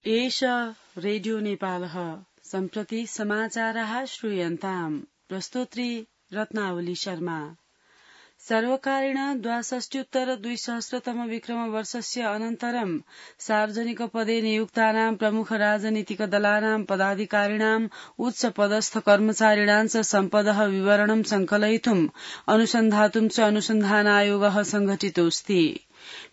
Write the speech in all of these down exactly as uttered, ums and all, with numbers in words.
एष रेडियो नेपालः सम्प्रति समाचाराः श्रूयन्ताम्। प्रस्तोत्री रत्नावली शर्मा। सर्वकारेण द्वाषष्ट्युत्तर द्विसहस्रतम विक्रम वर्षस्य अनन्तरं सार्वजनिक पदे नियुक्तानां प्रमुख राजनीतिक दलानां पदाधिकारिणाम् उच्च पदस्थ कर्मचारिणां च सम्पदः विवरणं संकलयितुम् अनुसन्धातुं च अनुसन्धानायोगः संघटितोऽस्ति।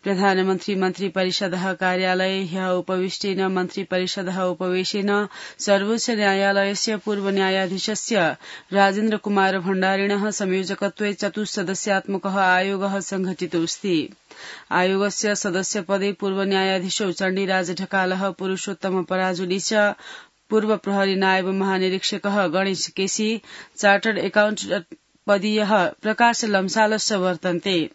प्रधानमन्त्री मन्त्री परिषदः कार्यालये ह्यः उपविष्टेन मन्त्री परिषदः उपवेशेन सर्वोच्च न्यायालयस्य पूर्व न्यायाधीशस्य राजेन्द्र कुमार भण्डारिणः संयोजकत्वे चतुस्सदस्यात्मकः आयोगः संघटितोऽस्ति। आयोगस्य सदस्यपदे पूर्व न्यायाधीशौ चण्डीराज ढकालः, पुरूषोत्तम पराजुली च, पूर्व प्रहरी नायब महानिरीक्षकः गणेश केसी, चार्टर्ड एकाउण्टेण्ट पदीयः प्रकाश लम्सालश्च वर्तन्ते।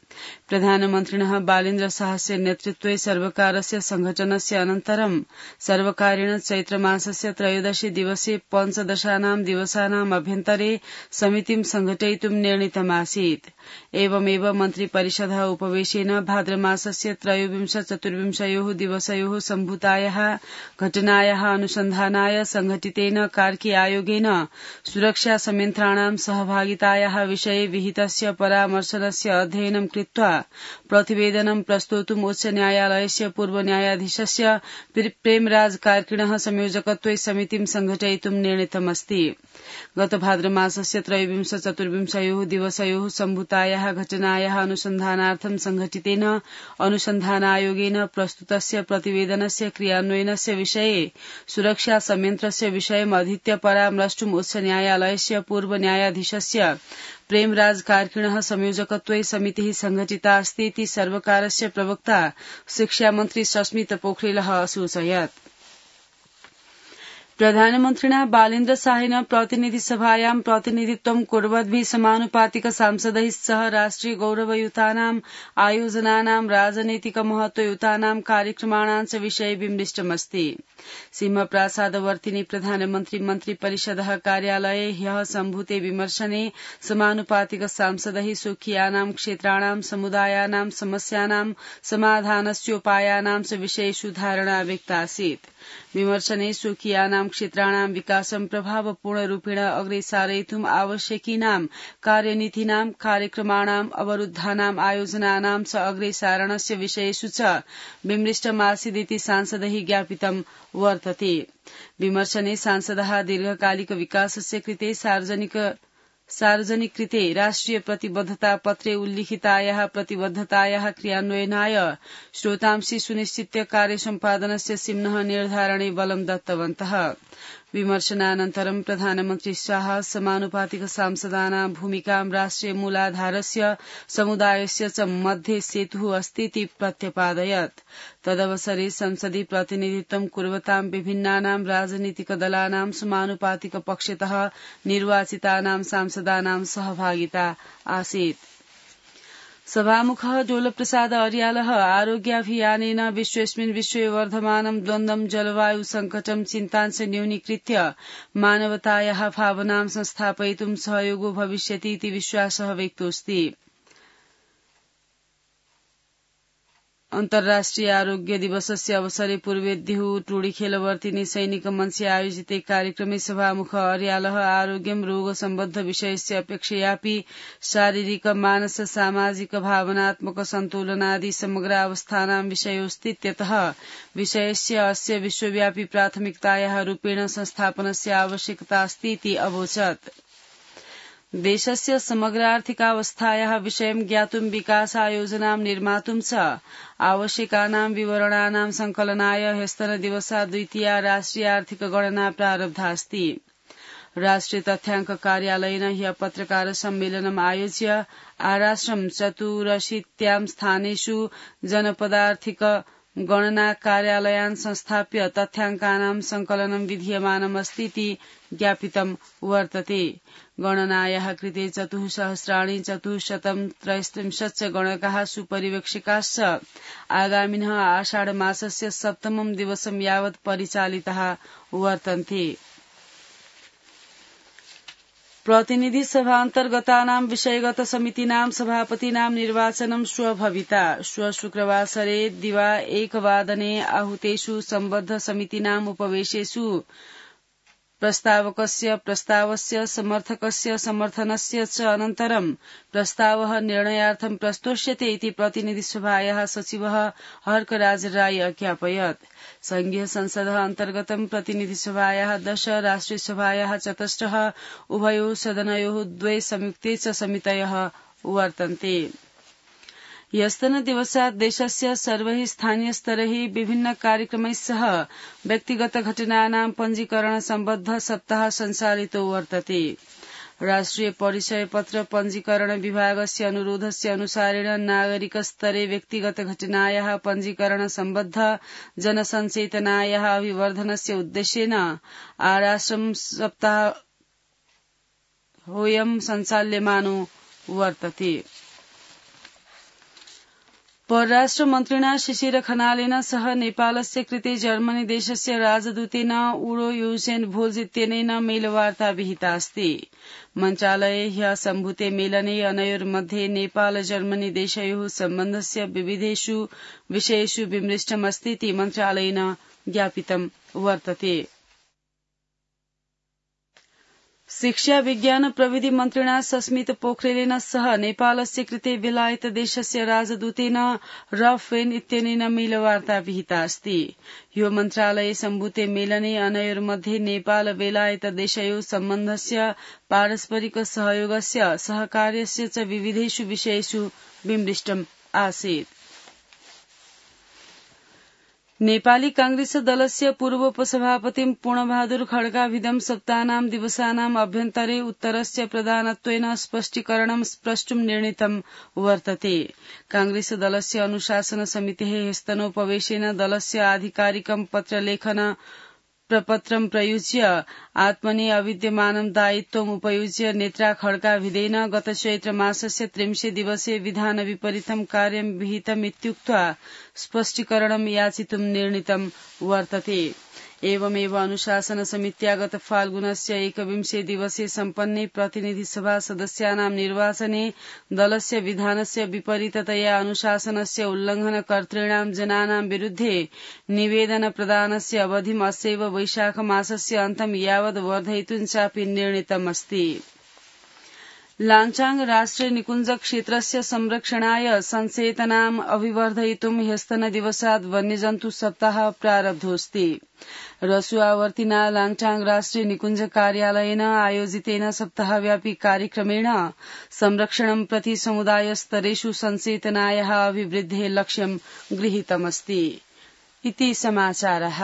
प्रधानमन्त्रिणः बालेन्द्र शाहस्य नेतृत्वे सर्वकारस्य संघटनस्य अनन्तरं सर्वकारेण चैत्रमासस्य त्रयोदशे दिवसे पञ्चदशानां दिवसानाम् अभ्यन्तरे समितिं संघटयितुं निर्णीतमासीत्। एवमेव मन्त्री परिषदः उपवेशेन भाद्रमासस्य त्रयोविंश चतुर्विंशयोः दिवसयोः सम्भूतायाः घटनायाः अनुसन्धानाय संघटितेन कार्की आयोगेन सुरक्षा संयन्त्राणां सहभागितायाः विषये विहितस्य परामर्शनस्य अध्ययनं कृत्वा प्रतिवेदनं प्रस्तोतुम् उच्च न्यायालयस्य पूर्व न्यायाधीशस्य प्रेमराज कार्किणः संयोजकत्वे समितिं संघटयितुं निर्णीतमस्ति। गत भाद्रमासस्य त्रयोविंश चतुर्विंशयोः दिवसयोः सम्भूतायाः घटनायाः अनुसन्धानार्थं संघटितेन अनुसन्धानायोगेन प्रस्तुतस्य प्रतिवेदनस्य क्रियान्वयनस्य विषये सुरक्षा संयन्त्रस्य विषयम् अधीत्य परामर्ष्टुम् उच्च न्यायालयस्य पूर्व न्यायाधीशस्य प्रेमराज कार्किणः संयोजकत्वे समितिः संघटिता अस्ति इति सर्वकारस्य प्रवक्ता शिक्षामन्त्री सस्मित पोखरेलः असूचयत्। प्रधानमन्त्रिणा बालेन्द्र शाहेन प्रतिनिधिसभायां प्रतिनिधित्वं कुर्वद्भिः समानुपातिक सांसदैः सह राष्ट्रिय गौरवयुतानां आयोजनानां राजनैतिक महत्वयुतानां कार्यक्रमाणां च विषये विमृष्टमस्ति। सिंहप्रासादवर्तिनि प्रधानमन्त्री मन्त्री परिषदः कार्यालये ह्यः सम्भूते विमर्शने समानुपातिक सांसदैः स्वकीयानां क्षेत्राणां समुदायानां समस्यानां समाधानस्योपायानां च विषयेषु धारणा व्यक्तासीत्। विमर्शने स्वकीयानां क्षेत्राणां विकासं प्रभावपूर्णरूपेण अग्रे सारयितुम् आवश्यकीनां कार्यनीतीनां कार्यक्रमाणां अवरुद्धानां आयोजनानां च अग्रे सारणस्य विषयेषु च विमृष्टमासीदिति सांसदैः ज्ञापितं वर्तते। विमर्शने सांसदः दीर्घकालिक विकासस्य कृते सार्वजनिक सार्वजनिक कृते राष्ट्रिय प्रतिबद्धता पत्रे उल्लिखितायाः प्रतिबद्धतायाः क्रियान्वयनाय श्रोतांसि सुनिश्चित्य कार्यसम्पादनस्य सिम्नः निर्धारणे बलं दत्तवन्तः। विमर्शनानन्तरं प्रधानमन्त्री शाह समानुपातिक सांसदानां भूमिकां राष्ट्रिय मूलाधारस्य समुदायस्य च मध्ये सेतुः अस्ति इति प्रत्यपादयत्। तदवसरे संसदि प्रतिनिधित्वं कुर्वतां विभिन्नानां राजनीतिक दलानां समानुपातिक पक्षतः निर्वाचितानां सांसदानां सहभागिता आसीत्। सभामुखः डोलप्रसाद अर्यालः आरोग्याभियानेन विश्वेस्मिन् विश्वे वर्धमानं द्वन्द्वं जलवायु संकटं चिन्ताञ्च न्यूनीकृत्य मानवतायाः भावनां संस्थापयितुं सहयोगो भविष्यति इति विश्वासः व्यक्तोऽस्ति। अन्तर्राष्ट्रिय आरोग्य दिवसस्य अवसरे पूर्वेद्युः टोडीखेलवर्तिनि सैनिक मञ्चे आयोजिते कार्यक्रमे सभामुख अर्यालः आरोग्यं रोगसम्बद्ध विषयस्य अपेक्षयापि शारीरिक मानस सामाजिक भावनात्मक सन्तुलनादि समग्रावस्थानां विषयोऽस्तीत्यतः विषयस्य अस्य विश्वव्यापी प्राथमिकतायाः रूपेण संस्थापनस्य आवश्यकता अस्ति इति अवोचत्। देशस्य समग्रार्थिकावस्थायाः विषयं ज्ञातुं विकासायोजनां निर्मातुं च आवश्यकानां विवरणानां संकलनाय ह्यस्तनदिवसा द्वितीया राष्ट्रिय आर्थिक गणना प्रारब्धास्ति। राष्ट्रिय तथ्याङ्क कार्यालयेन ह्यः पत्रकार सम्मेलनम् आयोज्य आराश्रम चतुरशीत्यां स्थानेषु जनपदार्थिक गणना कार्यालयान् संस्थाप्य तथ्याङ्कानां संकलनं विधीयमानमस्ति इति ज्ञापितं वर्तते। गणनायाः कृते चतुःसहस्राणि चतुःशतं त्रयस्त्रिंशच्च गणकाः सुपरिवेक्षकाश्च आगामिनः आषाढमासस्य सप्तमं दिवसं यावत् परिचालिताः वर्तन्ते। प्रतिनिधि सभा अन्तर्गतानां विषयगत समितिनां सभापतीनां निर्वाचनं श्व भविता। श्व शुक्रवासरे दिवा एकवादने आहुतेषु सम्बद्ध समितीनाम् उपवेशेषु प्रस्तावकस्य प्रस्तावस्य समर्थकस्य समर्थनस्य च अनन्तरं प्रस्तावः निर्णयार्थं प्रस्तोष्यते इति प्रतिनिधिसभायाः सचिवः हर्कराज राय अज्ञापयत्। संघीय संसदः अन्तर्गतं प्रतिनिधिसभायाः दश राष्ट्रियसभायाः चतस्रः उभयोः सदनयोः द्वे संयुक्ते च समितयः वर्तन्ते। ह्यस्तनदिवसात् देशस्य सर्वैः स्थानीयस्तरैः विभिन्न कार्यक्रमैः सह व्यक्तिगत घटनानां पञ्जीकरण सम्बद्ध सप्ताह सञ्चालितो वर्तते। राष्ट्रिय परिचय पत्र पञ्जीकरण विभागस्य अनुरोधस्य अनुसारेण नागरिकस्तरे व्यक्तिगत घटनायाः पञ्जीकरण सम्बद्ध जनसञ्चेतनायाः अभिवर्धनस्य उद्देश्येन आराश्रम सप्ताहोऽयं सञ्चाल्यमानो वर्तते। परराष्ट्र मन्त्रिणा शिशिर खनालेन सह नेपालस्य कृते जर्मनी देशस्य राजदूतेन उडो युसेन भोज इत्यनेन मेलवार्ता विहिता अस्ति। मन्त्रालये ह्यः सम्भूते मेलने अनयोर्मध्ये नेपाल जर्मनी देशयोः सम्बन्धस्य विविधेषु विषयेषु विमृष्टमस्तीति मन्त्रालयेन ज्ञापितं वर्तते। शिक्षा विज्ञान प्रविधि मन्त्रिणा सस्मित पोखरेलेन सह नेपालस्य कृते बेलायत देशस्य राजदूतेन रफेन इत्यनेन मेलवार्ता विहिता अस्ति। यो मन्त्रालये सम्भूते मेलने अनयोर्मध्ये नेपाल बेलायत देशयोः सम्बन्धस्य पारस्परिक सहयोगस्य सहकार्यस्य च विविधेषु विषयेषु विमृष्टम् आसीत्। नेपाली कांग्रेस दलस्य पूर्व उपसभापतिं पूर्णबहादुर खड्काभिधं सप्ताहनां दिवसानाम् अभ्यन्तरे उत्तरस्य प्रधानत्वेन स्पष्टीकरणं प्रष्टुं निर्णीतं वर्तते। कांग्रेस दलस्य अनुशासन समितेः ह्यस्तनोपवेशेन दलस्य आधिकारिकं पत्रलेखन प्रपत्रं प्रयुज्य आत्मनि अविद्यमानं दायित्वम् उपयुज्य नेत्रा खड्काभिधेन गत चैत्र मासस्य त्रिंशे दिवसे विधान विपरीतं कार्यं विहितमित्युक्त्वा स्पष्टीकरणं याचितुं निर्णीतं वर्तते। एवमेव अनुशासन समित्या गत फाल्गुनस्य एकविंशे दिवसे सम्पन्ने प्रतिनिधिसभा सदस्यानां निर्वाचने दलस्य विधानस्य विपरीततया अनुशासनस्य उल्लङ्घनकर्तॄणां जनानां विरुद्धे निवेदन प्रदानस्य अवधिम् अस्यैव वैशाख मासस्य अन्तं यावत् वर्धयितुं चापि निर्णीतमस्ति। लाञ्चाङ राष्ट्रिय निकुञ्ज क्षेत्रस्य संरक्षणाय सञ्चेतनाम् अभिवर्धयितुं ह्यस्तनदिवसात् वन्यजन्तु सप्ताह प्रारब्धोऽस्ति। रसुआवर्तिना लाङटाङ राष्ट्रिय निकुञ्ज कार्यालयेन आयोजितेन सप्ताहव्यापी कार्यक्रमेण संरक्षणं प्रति समुदाय स्तरेषु सञ्चेतनायाः अभिवृद्धेः लक्ष्यं गृहीतमस्ति। इति समाचारः।